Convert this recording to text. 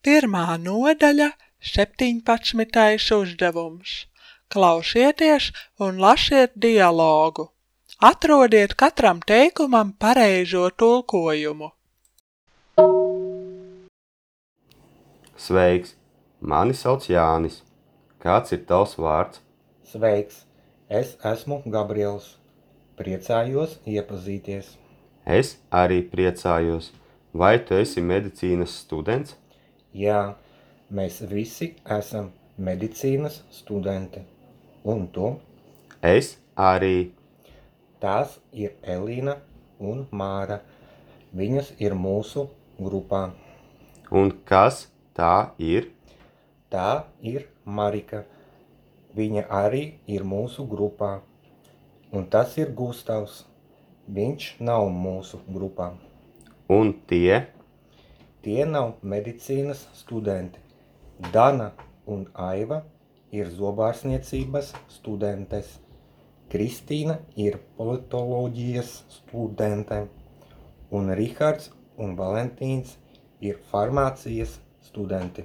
Pirmā nodaļa, 17. uzdevums. Klausieties un lasiet dialogu. Atrodiet katram teikumam pareizo tulkojumu. Sveiks! Mani sauc Jānis. Kāds ir tavs vārds? Sveiks! Es esmu Gabriels. Priecājos iepazīties. Es arī priecājos. Vai tu esi medicīnas students? Jā, mēs visi esam medicīnas studenti. Un tu? Es arī. Tās ir Elīna un Māra. Viņas ir mūsu grupā. Un kas tā ir? Tā ir Marika. Viņa arī ir mūsu grupā. Un tas ir Gustavs. Viņš nav mūsu grupā. Un tie? Tie nav medicīnas studenti. Dana un Aiva ir zobārstniecības studentes. Kristīna ir politoloģijas studente. Un Rihards un Valentīns ir farmācijas studenti.